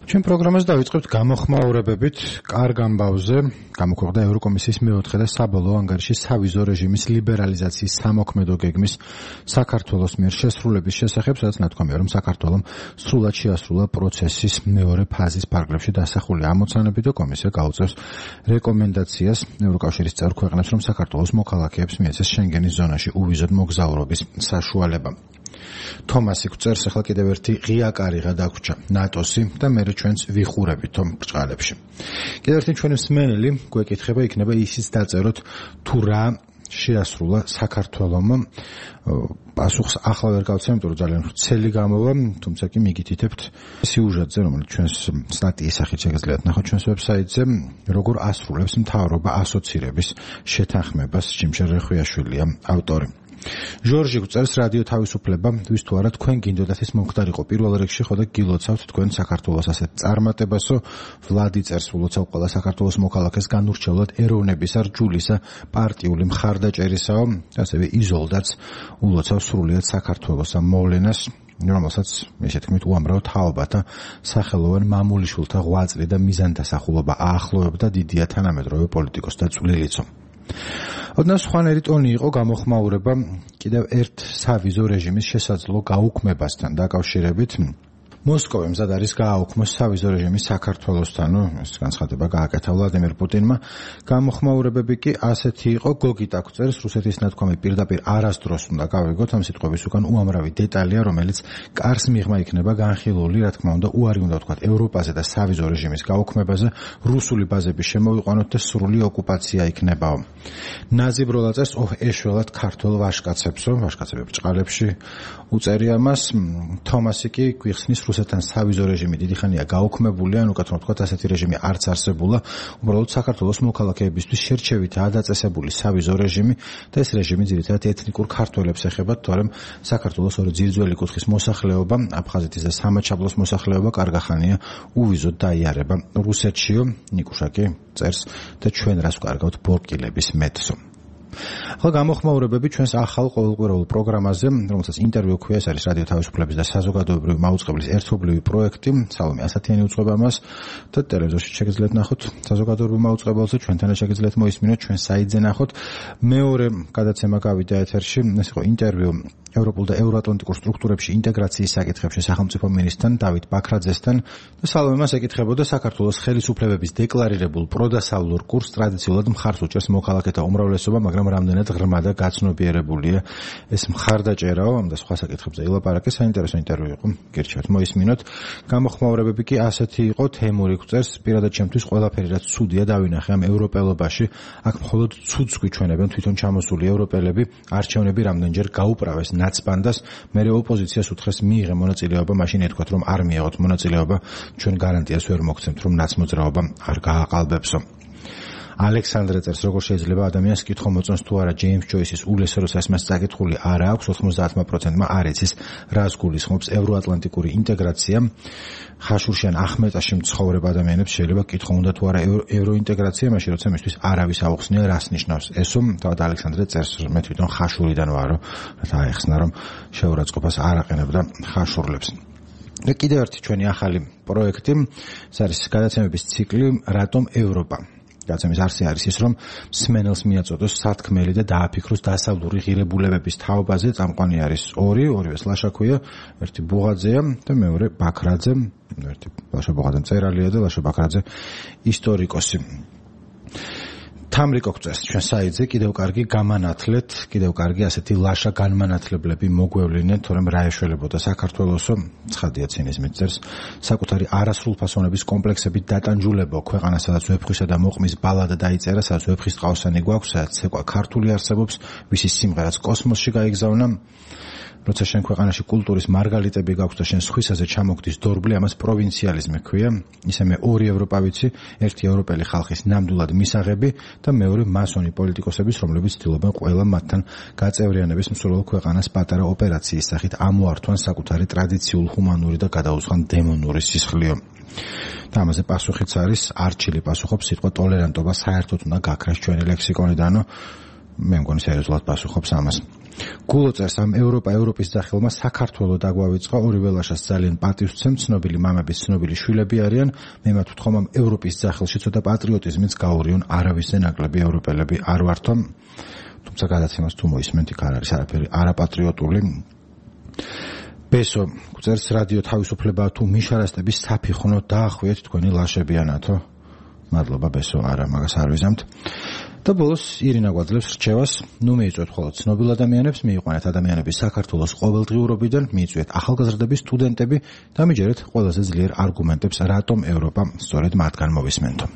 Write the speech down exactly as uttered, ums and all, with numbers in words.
ჩვენ პროგრამას დავიწყებთ გამოხმაურებებით კარგ ამბავზე. გამოქვეყნდა ევროკომისიის მეოთხე და საბოლოო ანგარიში სავიზო რეჟიმის ლიბერალიზაციის სამოქმედო გეგმის საქართველოს მიერ შესრულების შესახებ, სადაც ნათქვამია, რომ საქართველომ სრულად შეასრულა პროცესის მეორე ფაზის პარაგრაფში დასახული ამოცანები და კომისია გაუწევს რეკომენდაციას ევროკავშირის წევრ ქვეყნებს, რომ საქართველოს მოქალაქეებს მიეცეს შენგენის ზონაში უვიზოდ მოგზაურობის საშუალება. თომასი გვწერს, ახლა კიდევ ერთი ღია კარიღა დაგვრჩა ნატოსი და მე ჩვენც ვიხურებით ამ ბრჭყალებში. კიდევ ერთი ჩვენი მსმენელი გვეკითხება, იქნება ისიც დაწეროთ თუ რა შეასრულა საქართველომ. პასუხს ახლა ვერ გავცემ, იმიტომ რომ ძალიან ვრცელი გამოვა, თუმცა კი მიგითითებთ სიუჟეტზე, რომელიც ჩვენს სტატიის სახით შეგიძლიათ ნახოთ ჩვენს ვებსაიტზე, როგორ ასრულებს მთავრობა ასოცირების შეთანხმებას. ჭიმშელ რეხვიაშვილია ავტორი. ჟორჟი გვწერს, რადიო თავისუფლება, ვის თუ არა თქვენ გინდოდათ ის მომხდარიყო პირველ რიგში, ხოდა გილოცავთ თქვენ საქართველოს ასეთ წარმატებასო. ვლადი წერს, ულოცავ ყველა საქართველოს მოქალაქეს განურჩევლად ეროვნებისა, რჯულისა, პარტიული მხარდაჭერისაო, ასევე იზოლდაც ულოცავ სრულიად საქართველოს ამ მოვლენას, რომელსაც ესე თქმით უამრავ თაობათა სახელოვან მამულიშვილთა ღვაწლი და მიზანდასახულობა აახლოვებდა დიდია თანამედროვე პოლიტიკოსთა წვლილიცო. ოდნავ სხვანაირი ტონი იყო გამოხმაურება კიდევ ერთ სავიზო რეჟიმის შესაძლო გაუქმებასთან დაკავშირებით. მოსკოვი მზად არის გააუქმოს სავიზო რეჟიმი საქართველოსთან, ეს განცხადება გააკეთა ვლადიმერ პუტინმა. გამოხმაურებები კი ასეთი იყო, გოგიტა გვწერს, რუსეთის ნათქვამი პირდაპირ არასდროს უნდა გავიგოთ, ამ სიტყვების უკან უამრავი დეტალია, რომელიც კარს მიღმა იქნება განხილული, რა თქმა უნდა, უარი უნდა ვთქვათ ევროპაზე და სავიზო რეჟიმის გაუქმებაზე, რუსული ბაზების შემოვიყვანოთ და სრული ოკუპაცია იქნებაო. ნაზი ბროლაძეს ოჰ ეშველად ქართულ ვაშკაცებსო, ვაშკაცები ბრჭყალებში უწერია მას. თომასი კი გვიხსნის, რუსეთთან სავიზო რეჟიმი დიდი ხანია გაუქმებული, ან უკეთ ვთქვათ, ასეთი რეჟიმი არც არსებულა. უბრალოდ საქართველოს მოქალაქეებისთვის შერჩევითაა დაწესებული სავიზო რეჟიმი და ეს რეჟიმი ძირითადად ეთნიკურ ქართველებს ეხება, თორემ საქართველოს ორი ძირძველი კუთხის მოსახლეობა, აფხაზეთის და სამაჩაბლოს მოსახლეობა კარგა ხანია უვიზოდ დაიარება რუსეთშიო. ნიკუშა კი წერს და ჩვენ რას ვკარგავთ ბორკილების მეტსო. ახლა გამოხმაურებები ჩვენს ახალ ყოველკვირეულ პროგრამაზე, რომელსაც ინტერვიუ ქვია, ეს არის რადიო თავისუფლების და საზოგადოებრივი მაუწყებლის ერთობლივი პროექტი. სალომე ასათიანი უწყება მას და ტელევიზორში შეგიძლიათ ნახოთ საზოგადოებრივ მაუწყებელზე, ჩვენთანაც შეგიძლიათ მოისმინოთ, ჩვენ საიტზე ნახოთ. მეორე გადაცემა გავიდა ეთერში, ეს იყო ინტერვიუ ევროპულ და ევროატლანტიკურ სტრუქტურებში ინტეგრაციის საკითხებში სახელმწიფო მინისტრთან დავით ბაქრაძესთან და სალომე მას ეკითხებოდა საქართველოს ხელისუფლებების დეკლარირებულ პროდასავლურ კურსს ტრადიციულად მხარს უჭერს მოქალაქეთა უმრავლესობა, მაგრამ რამდენად ღრმა და გაცნობიერებულია ეს მხარდაჭერაო, ამ და სხვა საკითხებზე ილაპარაკე. საინტერესო ინტერვიუ იყო, გირჩევთ მოისმინოთ. გამოხმაურებები კი ასეთი იყო, თემური გვწერს, პირადად ჩემთვის ყველაფერი რაც ცუდია დავინახე ამ ევროპელობაში, აქ მხოლოდ ცუდს გვიჩვენებენ თვითონ ჩამოსული ევროპელები, არჩევნები რამდენჯერ გაუპრავეს ნაცბანდას, მერე ოპოზიციას უთხრეს მიიღე მონაწილეობა, მაშინ ეთქვათ რომ არ მიიღოთ მონაწილეობა, ჩვენ გარანტიას ვერ მოგცემთ რომ ნაცმოძრაობა არ გააყალბებსო. ალექსანდრე წერს, როგორ შეიძლება ადამიანს კითხვა მოწონს თუ არა ჯეიმს ჯოისის ულესეროს მას წაკითხული არა აქვს, ოცდაოთხ პროცენტმა არ იცის რას გულისხმობს ევროატლანტიკური ინტეგრაცია. ხაშურში ან ახმეტაში მცხოვრებ ადამიანებს შეიძლება კითხვა უნდა თუ არა ევროინტეგრაცია, მაშინ როცა მისთვის არავის აუხსნია რას ნიშნავს ესო. თავად ალექსანდრე წერს, მე თვითონ ხაშურიდან ვარო, რათა აეხსნა რომ შეურაცხყოფას არ აყენებდა ხაშურლებს. და კიდევ ერთი ჩვენი ახალი პროექტი, ეს არის გადაცემების ციკლი რატომ ევროპა. გადაცემის არსი არის ის, რომ მსმენელს მიაწოდოს სათქმელი და დააფიქროს დასავლური ღირებულებების თაობაზე. წამყვანი არის ორი, ორივეს ლაშა ქვია, ერთი ბუღაძეა და მეორე ბაქრაძე, ერთი ლაშა ბუღაძე მწერალია და ლაშა ბაქრაძე ისტორიკოსი. თამრიკო გვწერს ჩვენ საიტზე, კიდევ კარგი გამანათლეთ, კიდევ კარგი ასეთი ლაშა განმანათლებლები მოგვევლინეთ, თორემ რა ეშველებოდა საქართველოსო, ცხადია ცინიზმით წერს, საკუთარი არასრულფასოვნების კომპლექსებით დატანჯულებო ქვეყანა, სადაც ვეფხვისა და მოყმის ბალადა დაიწერა, სადაც ვეფხის ტყავსანი გვაქვს, სადაც ცეკვა ქართული არსებობს, ვისი სიმღერაც კოსმოსში გაიგზავნა. როცა შენ ქვეყანაში კულტურის მარგალიტები გაქვს და შენ სხვისაზე ჩამოგდის დორბლი, ამას პროვინციალიზმი ქვია. ისე მე ორი ევროპა ვიცი, ერთი ევროპელი ხალხის ნამდვილად მისაღები და მეორე მასონი პოლიტიკოსების, რომლებიც ცდილობენ ყველა მათთან გაწევრიანების მსურველ ქვეყანას პატარა ოპერაციის სახით ამოართვან საკუთარი ტრადიციულ, ჰუმანური და გადაუცხან დემონური სისხლიო. და ამაზე პასუხიც არის, არჩილი პასუხობს, სიტყვა ტოლერანტობა საერთოდ უნდა გაქრას ჩვენი ლექსიკონიდანო. მე მგონი სერიოზულად პასუხობს ამას. გულოწერს ამ ევროპა ევროპის ძახილმა საქართველო დაგვავიწყა ორი ველაშას ძალიან პატივსცემ ცნობილი მამების ცნობილი შვილები არიან მე მათ ვთხოვ ამ ევროპის ძახილში ცოტა პატრიოტიზმიც გაურიონ არავისზე ნაკლები ევროპელები არ ვართო თუმცა გადაცემას თუ მოისმენთ იქ არ არის არაფერი არაპატრიოტული ბესო წერს რადიო თავისუფლება თუ მიშარასტების საფიხვნო დაახვიეთ თქვენი ლაშებიანათო მადლობა ბესო არა მაგას არ ვიზამთ და ბოლოს ირინა გვაძლევს რჩევას ნუ მიიწვეთ მხოლოდ ცნობილ ადამიანებს მიიყვანეთ ადამიანების საქართველოს ყოველდღიურობიდან მიიწვიეთ ახალგაზრდები სტუდენტები და მიჯერეთ ყველაზე ძლიერ არგუმენტებს რატომ ევროპა სწორედ მათგან მოვისმენთო